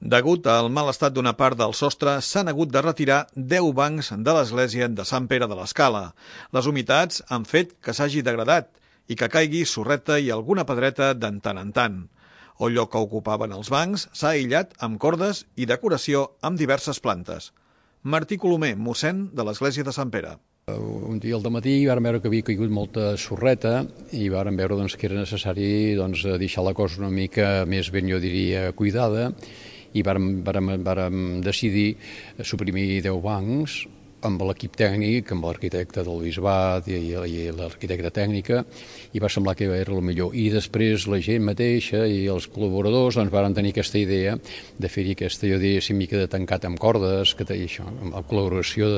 Degut al mal estat d'una part del sostre, s'han hagut de retirar 10 bancs de l'església de Sant Pere de l'Escala. Les humitats han fet que s'hagi degradat i que caigui sorreta i alguna pedreta de tant en tant. El lloc que ocupaven els bancs s'ha aïllat amb cordes i decoració amb diverses plantes. Martí Colomer, mossèn de l'església de Sant Pere. Un dia al dematí vam veure que havia caigut molta sorreta i vam veure que era necessari deixar la cosa una mica més ben, jo diria, cuidada, i vàrem decidir suprimir 10 bancs amb l'equip tècnic, amb l'arquitecte del bisbat i l'arquitecta tècnica, i va semblar que era el millor. I després la gent mateixa i els col·laboradors van tenir aquesta idea de fer-hi aquesta, jo diria, mica de tancat amb cordes, amb la col·laboració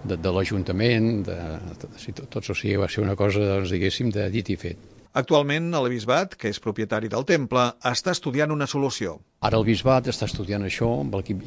de l'Ajuntament, tots, o sigui, va ser una cosa, diguéssim, de dit i fet. Actualment, el bisbat, que és propietari del temple, està estudiant una solució. Ara el bisbat està estudiant això,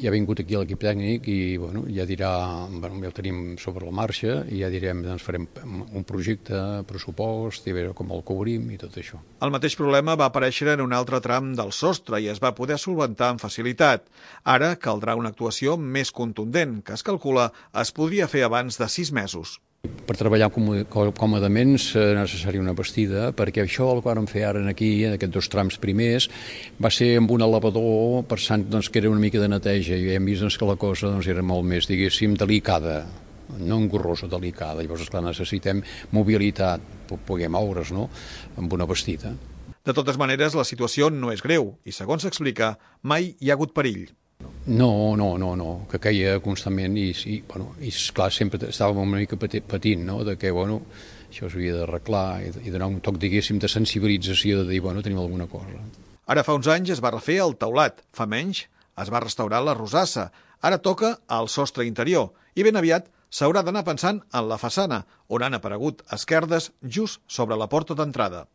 ja ha vingut aquí l'equip tècnic i ja dirà, ja ho tenim sobre la marxa, i ja direm, farem un projecte, pressupost, i a veure com el cobrim i tot això. El mateix problema va aparèixer en un altre tram del sostre i es va poder solventar amb facilitat. Ara caldrà una actuació més contundent, que es calcula es podria fer abans de 6 mesos. Per treballar còmodament és necessària una bastida, perquè això el que vam fer ara aquí, en aquests 2 trams primers, va ser amb un elevador, pensant que era una mica de neteja, i hem vist que la cosa era molt més, diguéssim, delicada, no engorrosa, delicada. Llavors, esclar, necessitem mobilitat, poder moure's, no?, amb una bastida. De totes maneres, la situació no és greu i, segons s'explica, mai hi ha hagut perill. No, que caia constantment i esclar, sempre estàvem una mica patint, no?, de que, això s'havia d'arreglar i donar un toc, diguéssim, de sensibilització, de dir, tenim alguna cosa. Ara fa uns anys es va refer el teulat, fa menys es va restaurar la rosassa, ara toca el sostre interior i ben aviat s'haurà d'anar pensant en la façana, on han aparegut esquerdes just sobre la porta d'entrada.